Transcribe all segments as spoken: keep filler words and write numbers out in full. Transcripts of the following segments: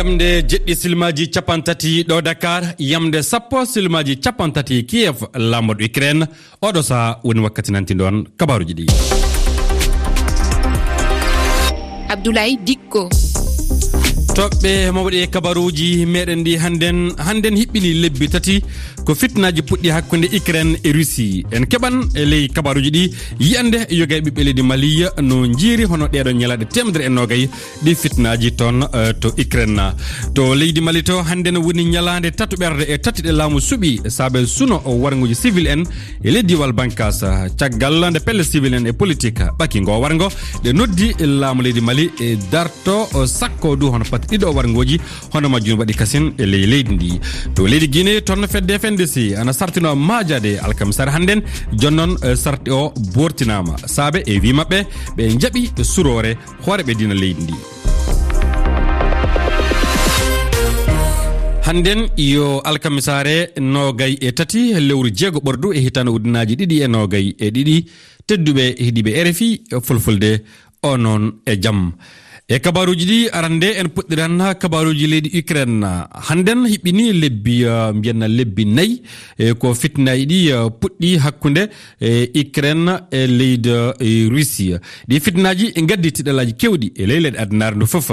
Yamde jeɗɗi silmaaji capanɗe tati ɗo Dakar, yamde sappo silmaaji capanɗe tati Kiev, laamorɗo Ukraine. Oɗo saha woni wakkati nanti ɗon kabaruuji ɗi. Abdoulaye Dikko. Toɓɓe mawɗe e kabaruuji meɗen ɗi hannden, hannden hiɓɓini lebbi tati ko fitnaaji puɗɗi hakkunde Ukraine e Russie. En keɓan e ley kabaruuji ɗi yiyannde yoga e ɓiɓɓe leydi Mali no njiiri hono ɗeeɗo ñalaaɗe teemedere e noogay ɗi fitnaaji toon, eh, to Ukraine. To leydi Mali to, hannden woni ñalaande tatuɓerde e tati ɗe laamu suɓi saabe suno o warnguuji civil en e ley diiwal Bankas. Caggal nde pelle civil en e politique ɓaki ngo warngo, ɗe noddi laamu leydi Mali e darto sakko du hono pati ɗiɗo warngooji, hono majjum waɗi kasin e ley leydi ndi. To leydi Guinée, toon fedde F N D C ana sartino maajaade alkamisaare hannden, jonnon, eh, sarti o bortinaama. Saabe e wii maɓɓe, ɓe njaɓi suroore hooreeɓe diina leydi ndi. Hannden yo alkamisaare noogay e tati lewru jeego ɓordu e hitaande ujunaaji ɗiɗi e noogay e ɗiɗi. Tedduɓe heɗiiɓe R F I Fulfulde, o noon e jam. E kabaruuji ɗi arande en puɗɗiran kabaruuji leydi Ukraine. Hannden hiɓɓini lebbi, eh, mbiyen lebbi nayi, eh, ko fitnaaji ɗi, eh, puɗɗi hakkunde, eh, Ukraine e leydi, eh, Russie. Ɗi fitnaaji ngaddi tiɗalaaji keewɗi e ley leyɗe addunaare ndu fof.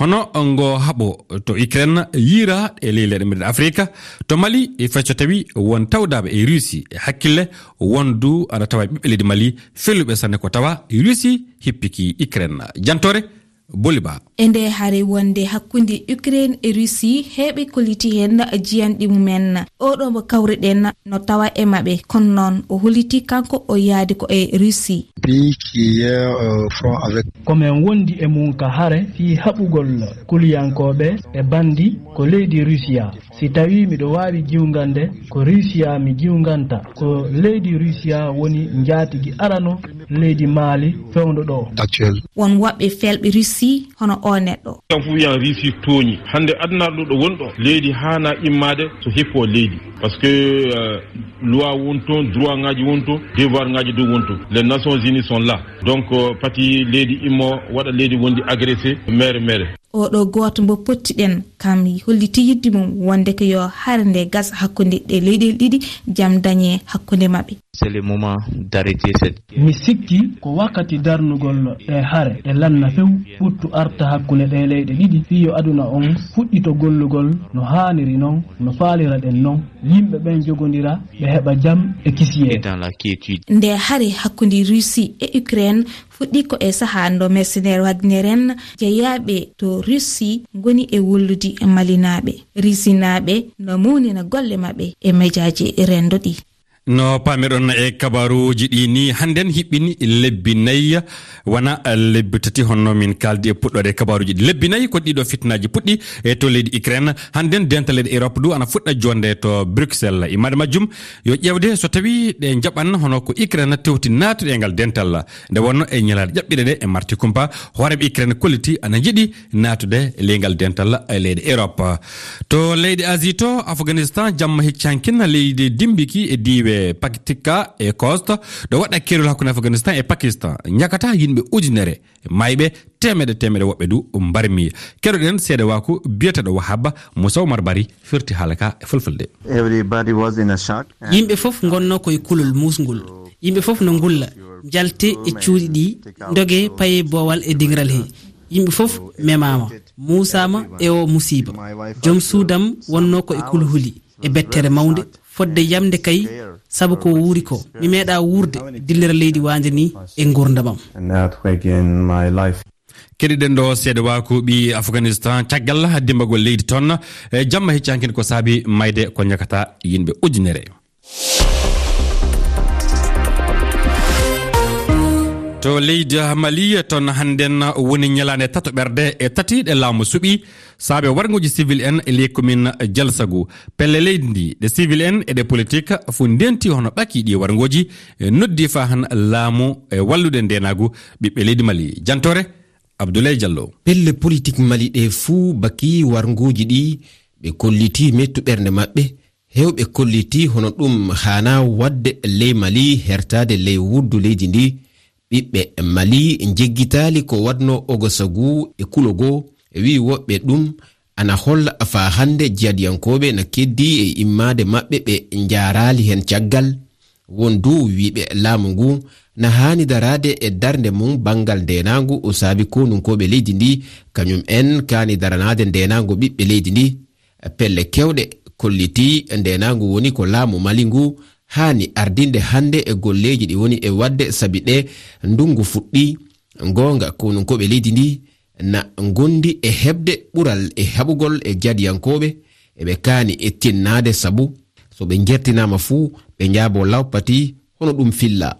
Hono ngo haɓo to Ukraine yiira e ley leyɗe meɗen Afrika. To Mali, e fay so tawi won tawdaaɓe e Russie e hakkille, won du ana tawa e ɓiɓɓe leydi Mali feluɓe sanne ko tawa Russie hippiki Ukraine. Jantoore Boliba. E nde hare wonde hakkunde Ukraine e Russie, heɓe kolliti heen jiyanɗi mumen. Oɗo mo kawriɗen no tawa e maɓɓe, kono noon o holliti kanko o yaadi ko e Russie. Pays qui est, euh, front avec. Ko men wondi e mum ka hare fii haɓugol kuliyankooɓe e bandi ko leydi Rusiya. Si tawii miɗo waawi jiwgande, ko Rusiya mi jiwganta. Ko leydi Rusiya woni njaatigi arano leydi Mali fewndo ɗo. Actuel. Won woɓɓe felɓe Russie hono o neɗɗo. Tan fof wiyan Russie tooñi. Hannde aduna ɗo ɗo woni ɗo, leydi haana immaade so hippo leydi. Parce que, euh, loi won toon, droit ngaji won toon, devoir ngaji dow won toon. Les Nations Unies sont là. Donc, euh, pati leydi immo waɗa leydi wondi agressé, mere, mere. Oɗo gooto mbo pottiɗen, kam holliti yidde mum wonde ko yo hare nde gasa hakkunde ɗe leyɗeele ɗiɗi, jam dañe hakkunde maɓɓe. C'est le moment d'arrêter cette. Mi sikki ko wakkati darnugol ɗe hare, ɗe lanna few, ɓuttu arta hakkunde ɗe leyɗe ɗiɗi, fii yo aduna on fuɗɗito gollugol no haaniri non, no faaliraɗen non. Yimɓe ɓen jogondira, ɓe heɓa jam e kisiyee. Et dans la quiétude. Nde hare hakkunde Russie e Ukraine fuɗɗi ko e sahaa ndo mercenaire Wagner en jeyaaɓe to Russie ngoni e wullude Malinaaɓe. Rusinaaɓe no mawnina golle maɓɓe e mejaaji renndo ɗi. No paamiɗon e kabaruuji ɗi ni, hannden hiɓɓini lebbi nayi, wona lebbi tati honno min kaaldi e puɗɗoode kabaruuji ɗi. Lebbi nayi ko ɗiɗo fitnaaji puɗɗi e to leydi Ukraine. Hannden dental leyɗe Europe du ana fuɗɗa jonde to Bruxelles. Immaade majjum yo ƴeewde so tawi ɗe njaɓan hono ko Ukraine tewti naatude e ngal dental. Nde wonno e ñalaaɗe ƴaɓɓiɗe ɗe e Marti Kumpa, hooreeɓe Ukraine kolliti ana njiɗi naatude e ley ngal dental e leyɗe Europe. To leyɗe Asie to, Afghanistan, jamma hecci hankin leydi dimbiki e diiwe Paktika e Khost, ɗo waɗa keerol hakkunde Afghanistan e Pakistan, ñakata yimɓe ujunere, mayɓe teemeɗe teemeɗe, woɓɓe du mbarmi. Keɗoɗen seedewaaku biyeteeɗo Wahaba Moussa Oumar Bari firti haala ka e fulfulde. Everybody was in a shock. Yimɓe fof ngonno ko e kulol muusngol. Yimɓe fof no ngulla, njalte e cuuɗi ɗi, ndoge paye boowal e diŋral he. Yimɓe fof memaama, muusaama e o musiiba. Joom suudam wonno ko e kulhuli, e bettere mawnde, fodde yamde kay, sabu ko wuuri ko. Mi meeɗa wuurde, dillira leydi waande ni e nguurndamam. An earthquake in my life. Keɗiɗen ɗo seedewaaku ɓi Afghanistan, caggal dimbagol leydi toon, e jamma hecci hankin ko saabi mayde ko ñakata yimɓe ujunere. To leydi Mali, toon hannden woni ñalaande tatoɓerde e tati ɗe laamu suɓi saabe warnguuji civil en e ley commune Jalsagu. Pelle leydi ndi, ɗe civil en e ɗe politique, fof ndenti hono ɓaki ɗi warnguuji, e noddi faa han laamu e wallude ndeenaagu ɓiɓɓe leydi Mali. Jantoore, Abdoulaye Diallo. Pelle politique Mali ɗe fuu baki warnguuji ɗi, ɓe kolliti mettu ɓernde maɓɓe. Heewɓe kolliti hono ɗum haanaa waɗde ley Mali, hertaade ley wuddu leydi ndi. Ɓiɓɓe Mali njeggitaali ko waɗnoo Ogosagu e Kulogo, e wi'i woɓɓe ɗum ana holla faa hannde jihadiyankooɓe na keddii e immaade maɓɓe ɓe njaaraali heen caggal. Won du wiyɓe laamu ngu na haani daraade e darnde mum banngal ndeenaangu o saabi konunkooɓe leydi ndi, kañum en kaani daranaade ndeenaangu ɓiɓɓe leydi ndi. Pelle keewɗe kollitii ndeenaangu woni ko laamu Mali ngu haani ardinde hannde e golleeji ɗi woni e waɗde sabi ɗe ndunngu fuɗɗii. Goonga konunkooɓe leydi ndi na ngondi e heɓde ɓural e haɓugol e jihadiyankooɓe, eɓe kaani e tinnaade sabu so ɓe njertinaama fuu ɓe njaaboo lawpati hono ɗum filla.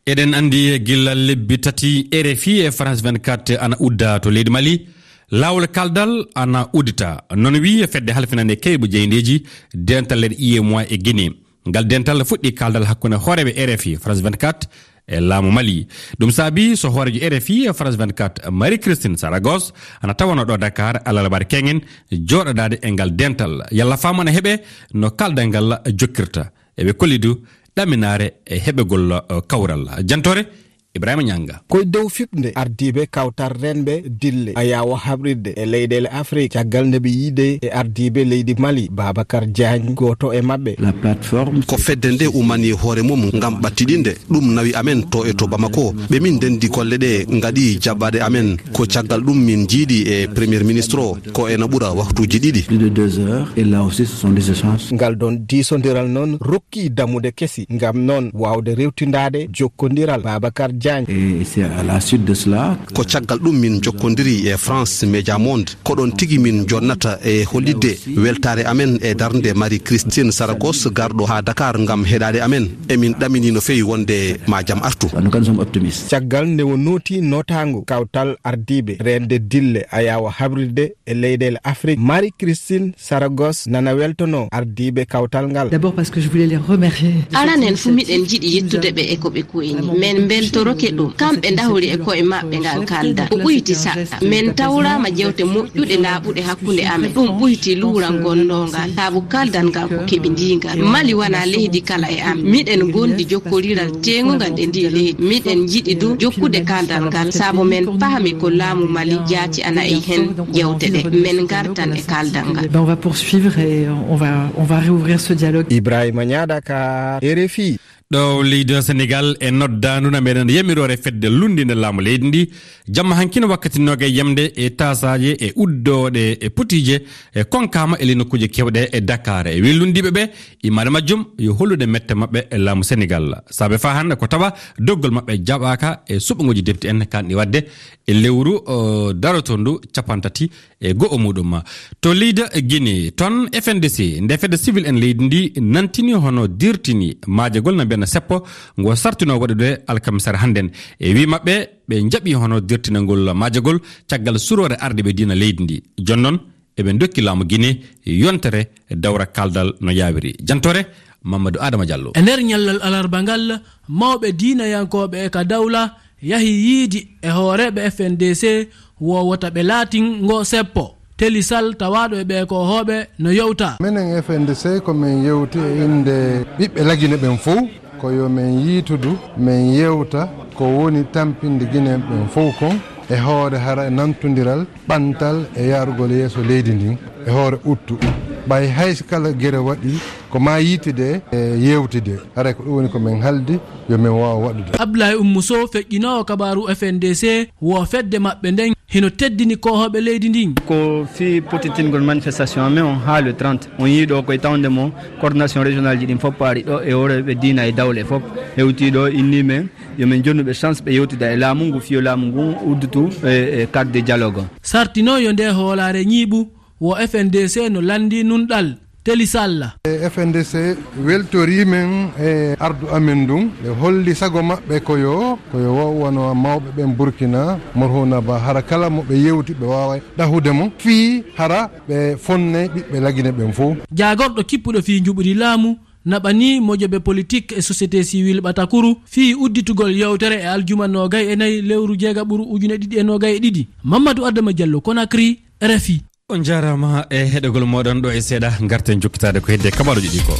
Eɗen anndi gila lebbi tati R F I e France vingt-quatre ana udda to leydi Mali. Laawol kaldal ana uddita. Noon wiyi fedde halfinande kaybu jeyndeeji dental leyɗe U E M O A e Guinée. Ngal dental fuɗɗi kaldal hakkunde hooreeɓe R F I France vingt-quatre e laamu Mali. Ɗum saabi so hooreejo R F I France vingt-quatre Marie Christine Saragos ana tawanoo ɗo Dakar alarbaare keŋŋen jooɗodaade e ngal dental. Yalla faamu ana heɓe no kaldal ngal jokkirta. Eɓe kolli du ɗaminaare e heɓegol, eh, kawral. Jantoore Ibrahima Ñanga. Koye dow fiɓnde ardiiɓe kawtal renɓe dille ayaawo haɓrirde e leyɗeele Afrik, caggal nde ɓe yiide e ardiiɓe leydi Mali, Babacar Diagne, gooto e maɓɓe. La plateforme. Ko fedde nde umani hoore mum ngam ɓattiɗinde. Ɗum nawi amen to e to Bamako. Ɓe min ndendi golle ɗe ngaɗi jaɓɓaade amen. Ko caggal ɗum min njiidi e Premier Ministre o. Ko ena ɓura waktuuji ɗiɗi. Plus de deux heures. Et là aussi, ce sont des échanges. Ngal ɗon diisondiral noon rokki dammuɗe kesi ngam noon waawde rewtindaade jokkondiral Babacar Diagne. Et c'est à la suite de cela. Ko caggal ɗum min njokkondiri e France Média Monde. Ko ɗon tigi min jonnata e hollitde weltaare amen e darnde Marie Christine Saragos garɗo haa Dakar ngam heɗaade amen. Emin ɗamini no feewi wonde ma jam artu. En tout cas, nous sommes optimistes. Caggal nde o nooti nootaango kawtal ardiiɓe rende dille ayaawo habrirde e leyɗeele Afrik, Marie Christine Saragos nana weltono ardiiɓe kawtal ngal. D'abord parce que je voulais les remercier. Aran en fuu miɗen njiɗi yettude ɓe e ko ɓe koyni. Men mbeltoroke ɗum. Kamɓe ndahori e koye maɓɓe ngal kaldal. Ko ɓuyti saɗɗa. Men tawraama jewte moƴƴuɗe laaɓuɗe hakkunde amen. Ɗum ɓuyti luural ngol ngal. Sabu kaldal ngal ko keɓindiingal. Mali wonaa leydi kala e amen. Miɗen ngondi jokkodiral teeŋungal e ndii leydi. Miɗen njiɗi du jokkude kaldal ngal. Sabu men pahmi ko laamu Mali jaati ana e heen jewte ɗe. Men ngartan e kaldal ngal. Ben, on va poursuivre et on va, on va réouvrir ce dialogue. Ibrahima Ñaa, Dakar, R F I. Ɗo leydi Senegal e noddaandu na meɗen yamiroore fedde lunndinde laamu leydi ndi. Jamma hankin wakkati noogay yamde e taasaaje e uddooɗe e putiije e konkaama e ley nokkuuje keewɗe e Dakar. E wi lunndiiɓe ɓe, imaade majjum yo hollude mette maɓɓe e laamu Senegal. Saabe faa hannde ko tawa doggol maɓɓe jaɓaaka e suɓngooji depti en kanɗi waɗde e lewru, o, darotondu capantati e go'o muɗum. To leydi Guinée, toon F N D C, nde fedde civil en leydi ndi nantini hono dirtini maajagol na mbiyan seppo ngo sartino waɗude alkamisare hannden. E wi maɓɓe, ɓe njaɓi hono dirtinagol maajagol caggal suroore arde ɓe diina leydi ndi. Jooni noon, eɓe ndokki laamu Guinée yontere dawra kaldal no yaawiri. Jantoore Mamadou Adama Diallo. E nder ñallal alarba ngal, mawɓe diinayankooɓe e ka dawla yahi yiidi e hooreeɓe F N D C wo wota ɓe laatin ngo seppo. Teli Sal tawaaɗo e ɓee koohooɓe no yewta. Menen F N D C ko men yewti e innde ɓiɓɓe Lagine ɓen fow, ko yo men yiitudu, men yewta ko woni tampinde Ginen ɓen fow kon e hoore hara e nantondiral, ɓantal e yaarugol yeeso leydi ndin e hoore uttu. Ɓay hay si kala gere waɗi, ko maa yiitude e yewtude. Haray ko ɗum woni ko men haldi yo men waaw waɗude. Abdoulaye Oumou Sow, feƴƴinoowo kabaaru F N D C, wo fedde maɓɓe nden hino teddini koohooɓe leydi ndin. Ko fii pottitingol manifestation amen on haa le trente. On yii ɗo koye tawnde mo coordination régional ji ɗin fof paari ɗo e hooreeɓe diina e dawle fof hewtii ɗo, innii men yo men jonnu ɓe chance ɓe yewtida e laamu ngu, fii yo laamu ngu udditu e, e cadre de dialogue. Sartinoo yo nde hoolaare ñiiɓu, wo F N D C no lanndii nunɗal. Teli Sal. E F N D C weltorii men e ardu amen ndun. Ɓe holli sago maɓɓe ko yo, ko yo wo-, wano mawɓe ɓen Burkina, Morhuna Ba, hara kala mo ɓe yewti ɓe waawa ɗahude mo fii hara ɓe fonnay ɓiɓɓe Lagine ɓen fow. Jaagorɗo kippuɗo fii njuɓudi laamu naɓanii mojobe politik e société civile ɓatakuru fii udditugol yewtere e aljuma noogay e nayi lewru jeegaɓuru ujune ɗiɗi e noogay e ɗiɗi. Mamadou Adama Diallo, Conakry, R F I. On njaaraama e heɗogol mooɗon. Ɗo e seeɗa ngarten jokkitaade ko hedde kabaaruuji ɗi ko.